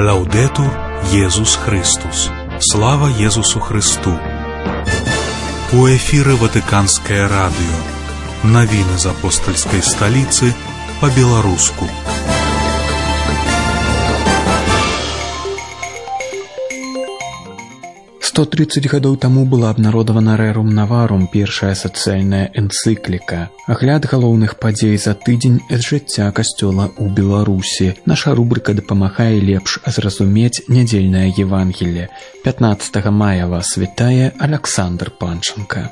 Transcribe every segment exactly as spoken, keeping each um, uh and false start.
Лаудетур Єсус Христос. Слава Єсусу Христу. У эфире Ватиканское радио. Новины из апостольской столицы по-белорусски. сто тридцать гадоў таму была абнародавана Rerum Novarum, першая сацыяльная энцыкліка. Агляд галоўных падзей за тыдзень з жыцця касцёла ў Беларусі. Наша рубрыка дапамагае лепш зразумець нядзельнае Евангелле. пятнаццатага мая вас вітае Александр Панченко.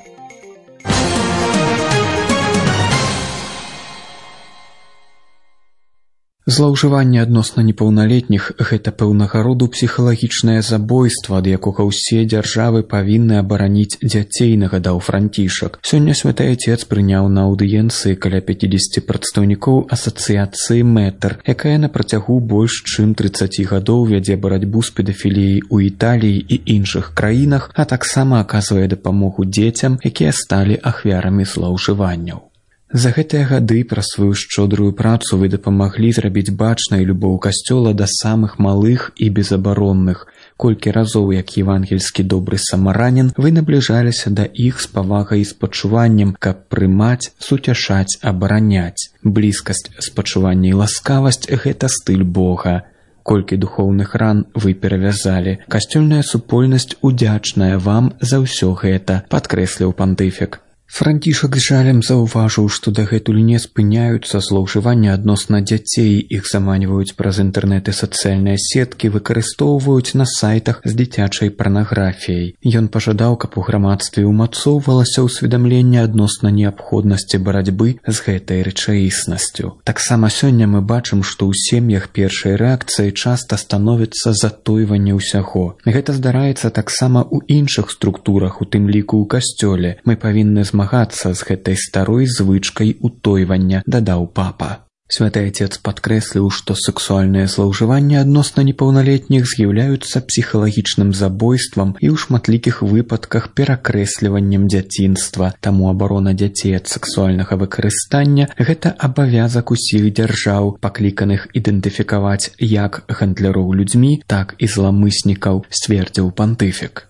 Злоўжыванне адносна непаўналетніх – гэта пэўнага роду псіхалагічнае забойства, ад якога ўсе дзяржавы павінны абараніць дзяцей, нагадаў Францішак. Сёння святы Отец прыняў на аўдыенцыі каля пяцідзесяці прадстаўнікоў асацыяцыі Мэтр, якая на працягу больш чым трыццаці гадоў вядзе барацьбу з педафіліяй у Італіі і іншых краінах, а таксама аказвае дапамогу дзецям, якія сталі ахвярамі злоўжыванняў. За гэтыя гады праз сваю шчодрую працу вы дапамаглі зрабіць бачнай любоў касцёла да самых малых і безабаронных. Колькі разоў, як евангельскі добры самаранін, вы набліжаліся да іх з павагай і спачуваннем, каб прымаць, суцяшаць, абараняць. Блізкасць, спачуванне і ласкавасць – гэта стыль Бога. Колькі духоўных ран вы перавязалі. Касцёльная супольнасць удзячная вам за ўсё гэта, падкрэсліў пантыфік. Францішак з жалем заўважыў, што дагэтуль не спыняюцца злоўжыванні адносна дзяцей, іх заманьваюць праз інтэрнэт і сацыяльныя сеткі, выкарыстоўваюць на сайтах з дзіцячай парнаграфіяй. Ён пажадаў, каб у грамадстве ўмацоўвалася ўсведамленне адносна неабходнасці барацьбы з гэтай рэчаіснасцю. Таксама сёння мы бачым, што ў сем'ях першай рэакцыі часта становіцца затойванне ўсяго. Гэта здараецца таксама ў іншых структурах, у тым ліку ў касцёле. Мы павінны змагацца з гэтай старой звычкай утойвання, дадаў папа. Святы Отец падкрэсліў, што сексуальныя злоўжыванні адносна непаўналетніх з'яўляюцца псіхалагічным забойствам і ў шматлікіх выпадках перакрэсліваннем дзяцінства. Таму абарона дзяцей ад сексуальнага выкарыстання – гэта абавязак усіх дзяржаў, пакліканых ідэнтыфікаваць як гандляроў людзьмі, так і зламыснікаў, сцвердзіў пантыфік.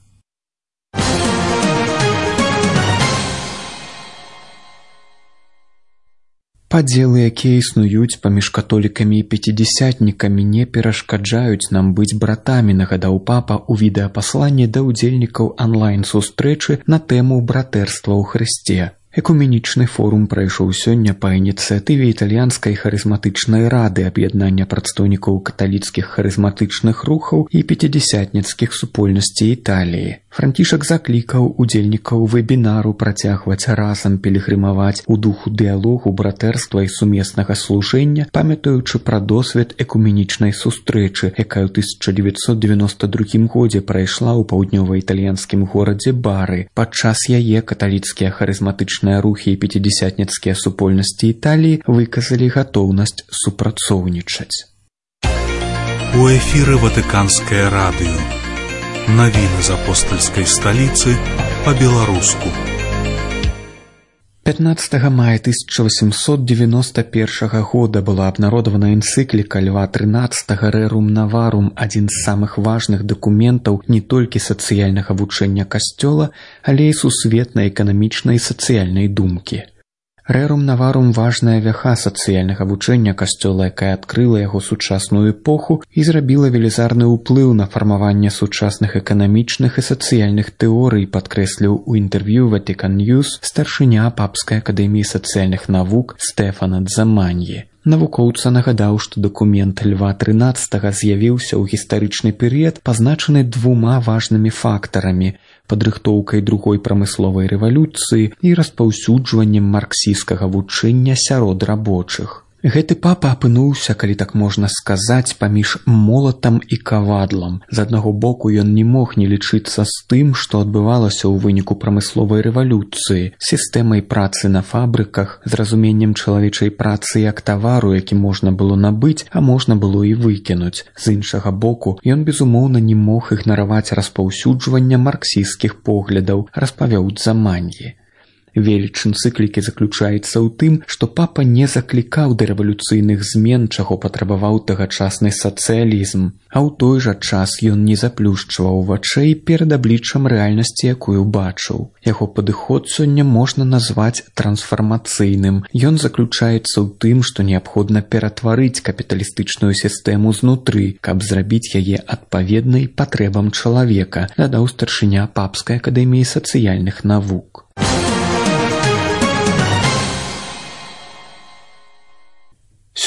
Падзелы, якія існуюць паміж католікамі і пяцідзясятнікамі, не перашкаджаюць нам быць братамі, нагадаў папа ў відэапасланні да ўдзельнікаў онлайн-сустрэчы на тэму братэрства ў Хрысце. Экуменічны форум прайшоў сёння па ініцыятыве італьянскай харызматычнай рады, аб'яднання прадстаўнікоў каталіцкіх харызматычных рухаў і пяцідзясятніцкіх супольнасцей Італіі. Францішак заклікаў удзельнікаў вебінару працягваць разам пілігрымаваць у духу дыялогу, братэрства і сумеснага служэння, памятаючы пра досвед экуменічнай сустрэчы, якая ў тысяча дзевяцьсот дзевяноста другім годзе прайшла ў паўднёва-італьянскім горадзе Бары. Падчас яе каталіцкія харызматычныя рухі і пяцідзясятніцкія супольнасці Італіі выказалі гатоўнасць супрацоўнічаць. У эфире Ватиканское радио. Новины из апостольской столицы по-белорусски. пятнаццатага мая тысяча восемьсот девяносто первого года была абнародавана энцыкліка Льва трынаццатага Rerum Novarum, адзін з самых важных дакументаў не толькі сацыяльнага вучэння касцёла, але і сусветнай эканамічнай і сацыяльнай думкі. Rerum Novarum – важная вяха сацыяльнага вучэння касцёла, якая адкрыла яго сучасную эпоху і зрабіла велізарны ўплыў на фармаванне сучасных эканамічных і сацыяльных тэорый, падкрэсліў у інтэрв'ю Vatican News старшыня Папскай акадэміі сацыяльных навук Стэфана Дзаманьі. Навукоўца нагадаў, што дакумент Льва трынаццатага з'явіўся ў гістарычны перыяд, пазначаны двума важнымі фактарамі – падрыхтоўкай другой прамысловай рэвалюцыі і распаўсюджваннем марксісцкага вучэння сярод рабочых. Гэты папа апынуўся, калі так можна сказаць, паміж молатам і кавадлам. З аднаго боку ён не мог не лічыцца з тым, што адбывалася ў выніку прамысловай рэвалюцыі, сістэмай працы на фабрыках, з разуменнем чалавечай працы як тавару, які можна было набыць, а можна было і выкінуць. З іншага боку, ён безумоўна не мог ігнараваць распаўсюджвання марксісцкіх поглядаў, распавёў Дзаманьі. Веліч энцыклікі заключаецца ў тым, што папа не заклікаў да рэвалюцыйных змен, чаго патрабаваў тагачасны сацыялізм, а ў той жа час ён не заплюшчваў вачэй перад абліччам рэальнасці, якую бачыў. Яго падыход сёння можна назваць трансфармацыйным. Ён заключаецца ў тым, што неабходна ператварыць капіталістычную сістэму знутры, каб зрабіць яе адпаведнай патрэбам чалавека, дадаў старшыня Папскай акадэміі сацыяльных навук.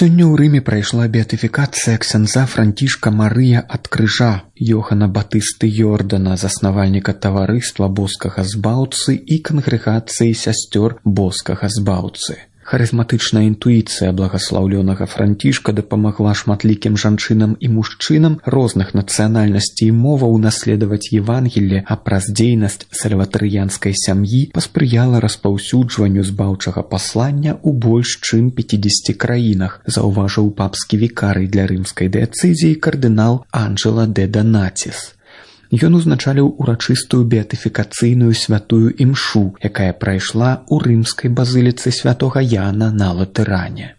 Сёння ў Рыме прайшла беатыфікацыя ксяндза Францішка Марыя ад крыжа Йохана Батысты Йордана, заснавальніка таварыства боскага збаўцы і кангрэгацыі сясцёр боскага збаўцы. Харызматычная інтуіцыя благаслаўлёнага Францішка дапамагла шматлікім жанчынам і мужчынам розных нацыянальнасцей і моваў наследаваць Евангелле, а праз дзейнасць сальватарыянскай сям'і паспрыяла распаўсюджванню збаўчага паслання ў больш чым пяцідзесяці краінах, заўважыў папскі вікарый для рымскай дыяцэзіі кардынал Анджела де Донатис. Ён узначаліў урачыстую беатыфікацыйную святую імшу, якая прайшла ў рымскай базыліцы святога Яна на Латэране.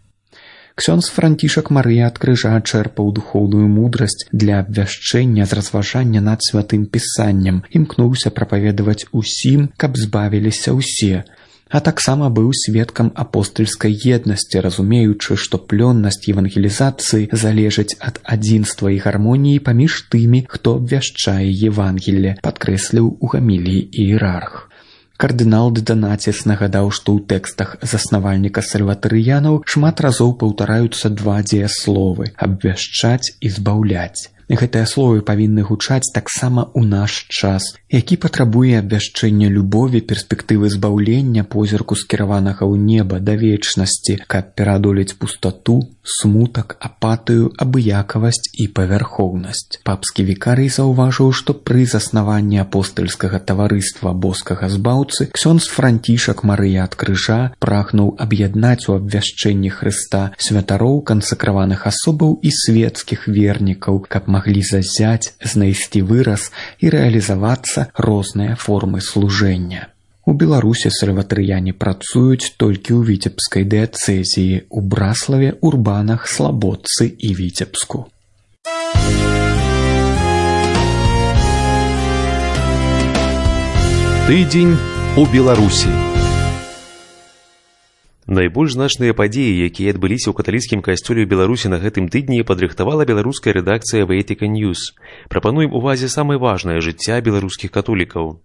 Ксёндз Францішак Марыя ад крыжа чэрпаў духоўную мудрасць для абвяшчэння з разважання над святым пісаннем, імкнуўся прапаведаваць усім, каб збавіліся ўсе, а таксама быў сведкам апостальскай еднасці, разумеючы, што плённасць евангелізацыі залежыць ад адзінства і гармоніі паміж тымі, хто абвяшчае Евангелле, падкрэсліў у гаміліі іерарх. Кардынал де Донатис нагадаў, што ў тэкстах заснавальніка сальватарыянаў шмат разоў паўтараюцца два дзеясловы – абвяшчаць і збаўляць. Гэтыя словы павінны гучаць таксама ў наш час, які патрабуе абвяшчэння любові, перспектывы збаўлення, позірку скіраванага ў неба да вечнасці, каб пераадолець пустату, смутак, апатыю, абыякавасць і павярхоўнасць. Папскі вікарый заўважыў, што пры заснаванні апостальскага таварыства боскага збаўцы ксёндз Францішак Марыя ад крыжа прагнуў аб'яднаць у абвяшчэнні Хрыста святароў, кансакраваных асобаў і светскіх вернікаў, каб маглі зазяць, знайсці выраз і рэалізавацца розныя формы служэння. У Беларусі сальватарыяне працуюць толькі ў віцебскай дыяцэзіі, у Браславе, Урбанах, Слабодцы і Віцебску. Тыдзень у Беларусі. Найбольш значныя падзеі, якія адбыліся ў каталіцкім касцёле ў Беларусі на гэтым тыдні, падрыхтавала беларуская рэдакцыя Vatican News. Прапануем увазе самае важнае жыцця беларускіх католікаў.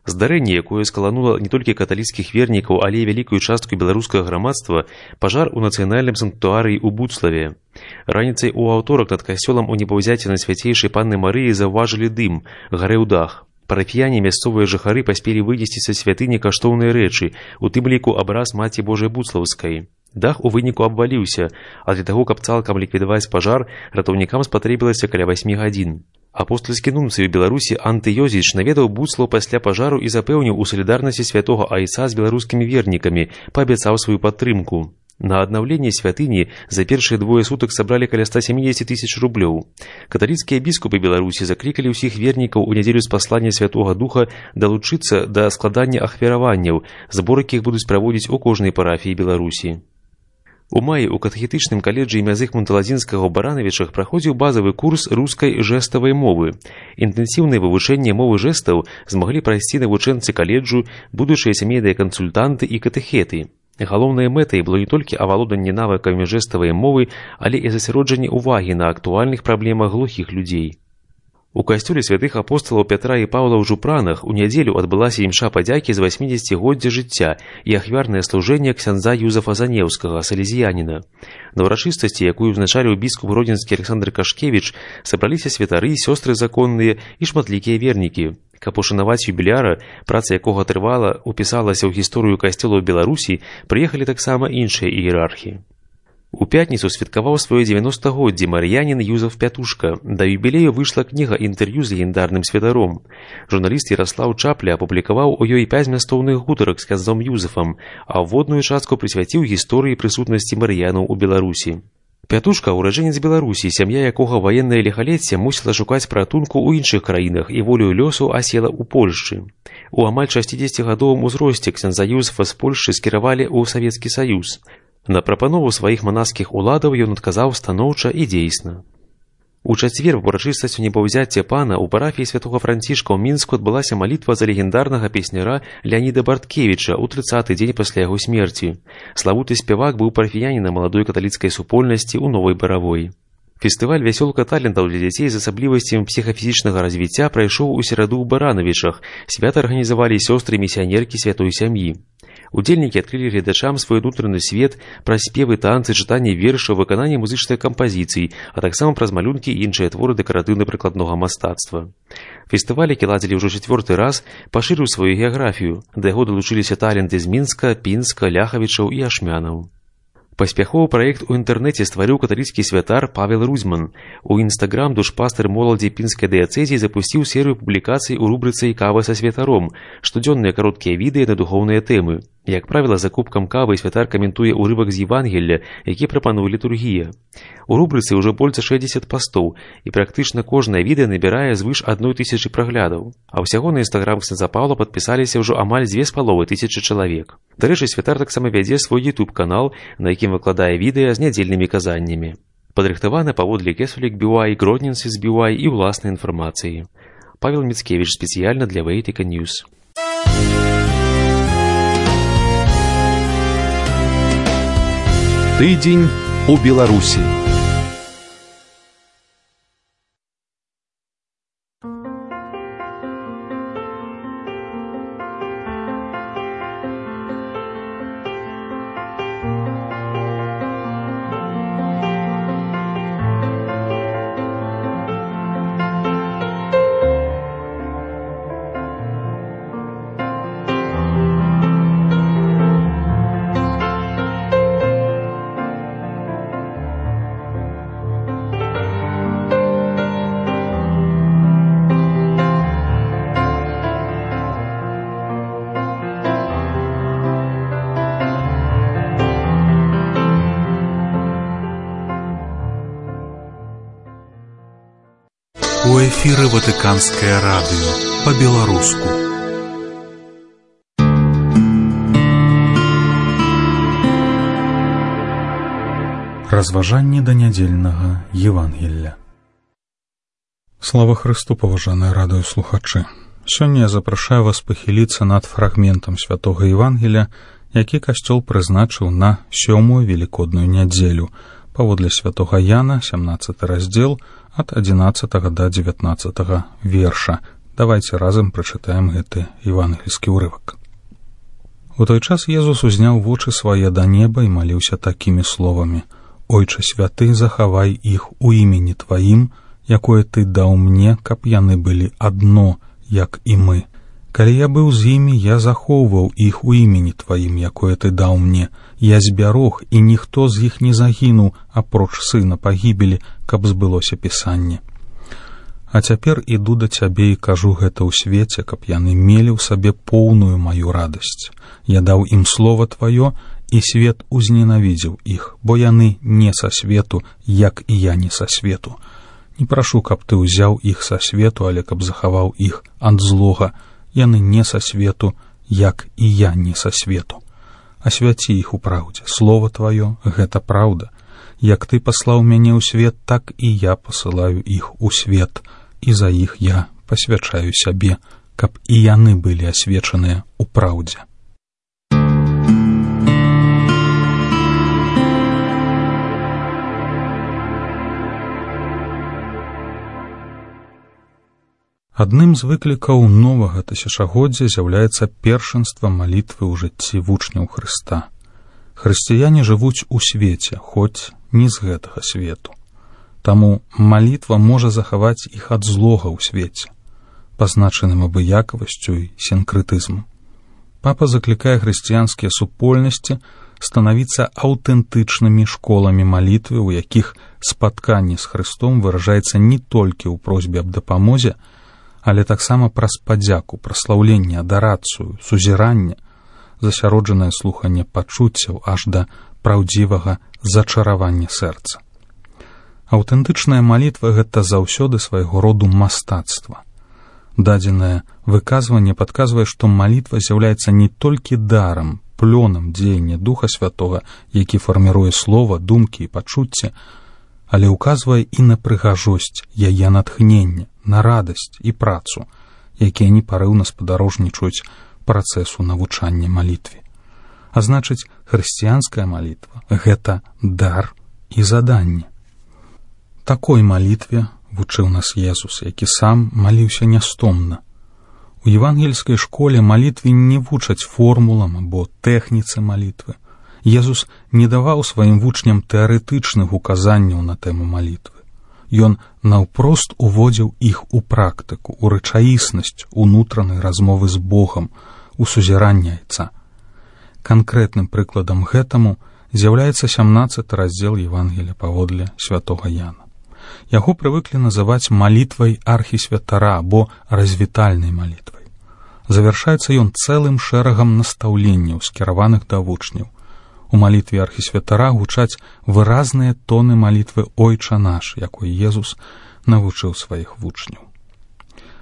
Здарэнне, якое скаланула не толькі каталіцкіх вернікаў, але і вялікую частку беларускага грамадства, пажар у нацыянальным санктуарыі ў Буцлаве. Раніцай у аўторак над касцёлам у небаўзяці на свяцейшай панны Марыі заўважылі дым, гарэў дах. Парафіяне, мясцовыя жыхары паспелі вынесці са святыні каштоўныя рэчы, у тым ліку абраз Маці Божай Буцлаўскай. Дах у выніку абваліўся, а для таго, каб цалкам ліквідаваць пажар, ратаўнікам спатрэбілася каля васьмі гадзін. Апостальскі нунцый у Беларусі Антыёзіч наведаў Буцлаў пасля пажару і запэўніў у салідарнасці святога Айца з беларускімі вернікамі, паабяцаў сваю падтрымку. На аднаўленне святыні за першыя двое сутак сабралі каля ста сямдзесят тысяч рублёў. Каталіцкія біскупы Беларусі заклікалі ўсіх вернікаў у нядзелю з паслання Святога Духа далучыцца да складання ахвяраванняў, збор якіх будуць праводзіць у кожнай парафіі Беларусі. У маі ў катэхетычным каледжы імя Зыгмунта Ладзінскага ў Баранавічах праходзіў базавы курс рускай жэставай мовы. Інтэнсіўнае вывучэнне мовы жэстаў змаглі прайсці навучэнцы каледжу, будучыя сямейныя кансультанты і катэхеты. Галоўнай мэтай было не толькі авалоданне навыкамі жэставай мовы, але і засяроджанне ўвагі на актуальных праблемах глухіх людзей. У касцёле святых апосталаў Пятра і Паўла ў Жупранах у нядзелю адбылася імша падзякі з васьмідзесяцігоддзя жыцця і ахвярнае служэнне ксяндза Юзафа Занеўскага, салезіяніна. На ўрачыстасці, якую узначаліў біскуп гродзенскі Александр Кашкевіч, сабраліся святары, сёстры законныя і шматлікія вернікі. Каб ушанаваць юбіляра, праца якога трывала упісалася ў гісторыю касцёла ў Беларусі, прыехалі таксама іншыя іерархі. У пятніцу святкаваў сваё дзевяностагоддзе мар'янін Юзаф Пятушка. Да юбілею выйшла кніга інтэрв'ю з легендарным святаром. Журналіст Яраслаў Чапля апублікаваў у ёй пяць змястоўных гутарак з ксяндзом Юзафам, а ўводную частку прысвяціў гісторыі прысутнасці мар'янаў у Беларусі. Пятушка – ураджэнец Беларусі, сям'я якога ваеннае ліхалецце мусіла шукаць паратунку ў іншых краінах і волею лёсу асела ў Польшчы. У амаль шасцідзесяцігадовым узросце ксяндза Юзефа з Польшчы скіравалі ў Савецкі Саюз. На прапанову сваіх манаскіх уладаў ён адказаў станоўча і дзейсна. У чацвер в урачыстасць небаўзяцця пана ў парафіі святога Францішка ў Мінску адбылася малітва за легендарнага песняра Леаніда Барткевіча ў трыццаты дзень пасля яго смерці. Славуты спявак быў парафіянінам маладой каталіцкай супольнасці ў Новай Баравой. Фестываль «Вясёлка талентаў» для дзяцей з асаблівасцямі псіхафізічнага развіцця прайшоў у сераду ў Баранавічах. Свята арганізавалі сёстры-місіянеркі святой сям'і. Удзельнікі адкрылі гледачам свой унутраны свет праз спевы, танцы, чытанне вершаў, выкананне музычных кампазіцый, а таксама праз малюнкі і іншыя творы дэкаратыўна-прыкладнога мастацтва. Фестываль, які ладзілі ўжо чацвёрты раз, пашырыў сваю геаграфію. Да яго далучыліся таленты з Мінска, Пінска, Ляхавічаў і Ашмянаў. Паспяховы праект у інтэрнэце стварыў каталіцкі святар Павел Рузьман. У інстаграм душпастыр моладзі пінскай дыяцэзіі запусціў серыю публікацый у рубрыцы «Кава са святаром», штодзённыя кароткія відэа на духоўныя тэмы. Як правіла, за кубкам кавы святар каментуе ўрывак з Евангелля, які прапануе літургія. У рубрыцы ўжо больш за шэсцьдзесят пастоў, і практычна кожнае відэа набірае звыш адной тысячы праглядаў. А ўсяго на інстаграм ксяндза Паўла падпісаліся ўжо амаль дзве з паловай тысячы чалавек. Дарэчы, святар таксама вядзе свой ютуб-канал, на якім выкладае відэа з нядзельнымі казаннямі. Падрыхтавана паводле Кесулік би уай, Гродненсіс би уай і ўласнай інфармацыі. Павел Міцкевіч спецыяльна для Вэйтыка Ньюс. Тыдзень у Беларусі. У эфіры Ватыканскае радыё па-беларуску. Разважанне да нядзельнага Евангелля. Слава Христу, паважаныя радыёслухачы! Сёння я запрашаю вас пахіліцца над фрагментам святога Евангелля, які касцёл прызначыў на сёмую велікодную нядзелю, паводле святога Яна, сямнаццаты раздзел, ад адзінаццатага да дзевятнаццатага верша. Давайце разам прачытаем гэты евангельскі ўрывак. У той час Езус узняў вочы свае да неба і маліўся такімі словамі: «Ойче святы, захавай іх у імені Тваім, якое Ты даў мне, каб яны былі адно, як і мы. Калі я быў з імі, я захоўваў іх у імені Тваім, якое Ты даў мне. Я збярог, і ніхто з іх не загінуў, апроч сына пагібелі, каб збылося пісанне. А цяпер іду да Цябе і кажу гэта ў свеце, каб яны мелі ў сабе поўную маю радасць. Я даў ім слова Тваё, і свет узненавідзеў іх, бо яны не са свету, як і я не са свету. Не прашу, каб Ты ўзяў іх са свету, але каб захаваў іх ад злога. Яны не са свету, як і я не са свету. Асвяці іх у праўдзе. Слова Тваё — гэта праўда. Як Ты паслаў мяне ў свет, так і я пасылаю іх у свет, і за іх я пасвячаю сябе, каб і яны былі асвечаныя ў праўдзе». Адным з выклікаў новага тысячагоддзя з'яўляецца першынства малітвы ў жыцці вучняў Хрыста. Хрысціяне жывуць у свеце, хоць не з гэтага свету. Таму малітва можа захаваць іх ад злога ў свеце, пазначаным абыякавасцю і сінкрэтызмам. Папа заклікае хрысціянскія супольнасці станавіцца аўтэнтычнымі школамі малітвы, у якіх спатканне з Хрыстом выражаецца не толькі ў просьбе аб дапамозе, але таксама праз падзяку, праслаўленне, адарацыю, сузіранне, засяроджанае слуханне пачуццяў аж да праўдзівага зачаравання сэрца. Аўтэнтычная малітва — гэта заўсёды свайго роду мастацтва. Дадзенае выказванне падказвае, што малітва з'яўляецца не толькі дарам, плёнам дзеяння Духа Святога, які фарміруе слова, думкі і пачуцці, але ўказвае і на прыгажосць яе натхнення, на радасць і працу, якія непарыўна спадарожнічаюць працэсу навучання малітве. А значыць, хрысціянская малітва — гэта дар і заданне. Такой малітве вучыў нас Езус, які сам маліўся нястомна. У евангельскай школе малітве не вучаць формулам або тэхніцы малітвы. Езус не даваў сваім вучням тэарэтычных указанняў на тэму малітвы. Ён наўпрост уводзіў іх у практыку, у рэчаіснасць унутранай размовы з Богам, у сузіранне Айца. Канкрэтным прыкладам гэтаму з'яўляецца сямнаццаты раздзел Евангелія паводле святога Яна. Яго прывыклі называць малітвай архісвятара або развітальнай малітвай. Завяршаецца ён цэлым шэрагам настаўленняў, скіраваных да вучняў. У малітве архісвятара гучаць выразныя тоны малітвы «Ойча наш», якой Езус навучыў сваіх вучняў.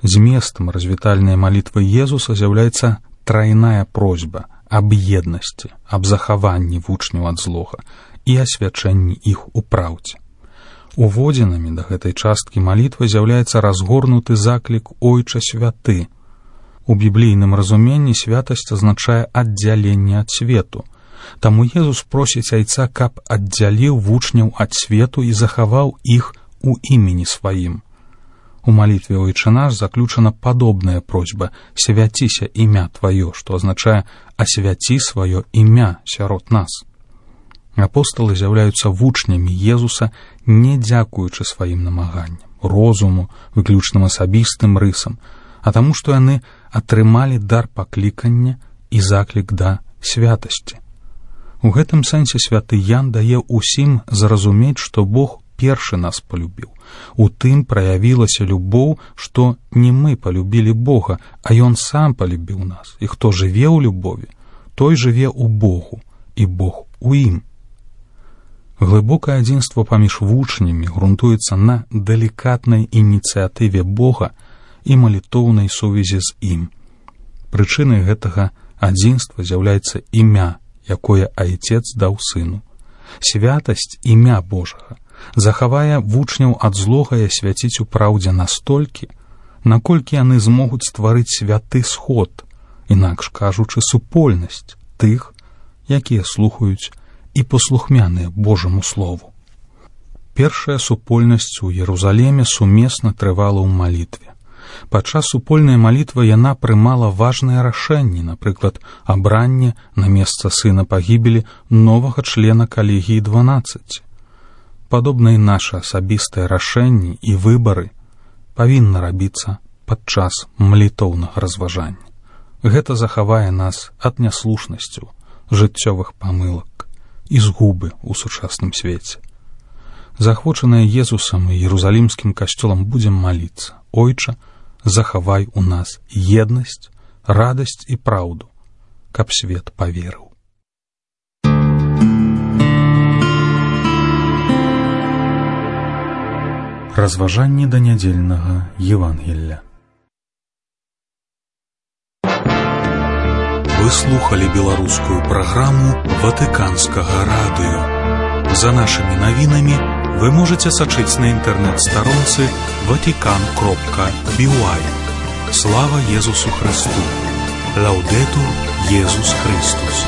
Зместам развітальнай малітвы Езуса з'яўляецца трайная просьба аб еднасці, аб захаванні вучняў ад злога і асвячэнні іх у праўдзе. Уводзінамі да гэтай часткі малітвы з'яўляецца разгорнуты заклік «Ойча святы». У біблійным разуменні святасць азначае аддзяленне ад свету. Таму Езус просіць Айца, каб аддзяліў вучняў ад свету і захаваў іх у імені сваім. У малітве «Ойча наш» заключана падобная просьба «Свяціся імя Тваё», што азначае «Асвяці сваё імя сярод нас». Апосталы з'яўляюцца вучнямі Езуса, не дзякуючы сваім намаганням, розуму, выключным асабістым рысам, а таму, што яны атрымалі дар паклікання і заклік да святасці. У гэтым сэнсе святы Ян дае ўсім зразумець, што Бог першы нас полюбіў. У тым праявілася любоў, што не мы полюбілі Бога, а Ён сам полюбіў нас. І хто жыве ў любові, той жыве ў Богу, і Бог у ім. Глыбокае адзінства паміж вучнямі грунтуецца на далікатнай ініцыятыве Бога і малітоўнай сувязі з ім. Прычынай гэтага адзінства з'яўляецца імя, якое Айцец даў Сыну. Святасць імя Божага захавае вучняў ад злога і асвяціць у праўдзе настолькі, наколькі яны змогуць стварыць святы сход, інакш кажучы, супольнасць тых, якія слухаюць і паслухмяныя Божаму слову. Першая супольнасць у Ерусаліме сумесна трывала ў малітве. Падчас супольнай малітвы яна прымала важныя рашэнні, напрыклад, абранне на месца сына пагібелі новага члена калегіі дванаццаць. Падобна і нашы асабістыя рашэнні і выбары павінны рабіцца падчас малітоўнага разважання. Гэта захавае нас ад няслушнасцяў, жыццёвых памылак і згубы ў сучасным свеце. Захвочаныя Езусам і Ерусалімскім касцёлам будзем маліцца: «Ойча, захавай у нас еднасць, радасць і праўду, каб свет паверыў». Разважанні да нядзельнага Евангелля. Вы слухали беларускую праграму Ватыканскага радыё. За нашымі навінамі вы можете сачыць на інтэрнэт-старонцы ватикан кропка би уай. Слава Езусу Христу! Лаудетур Езус Христус!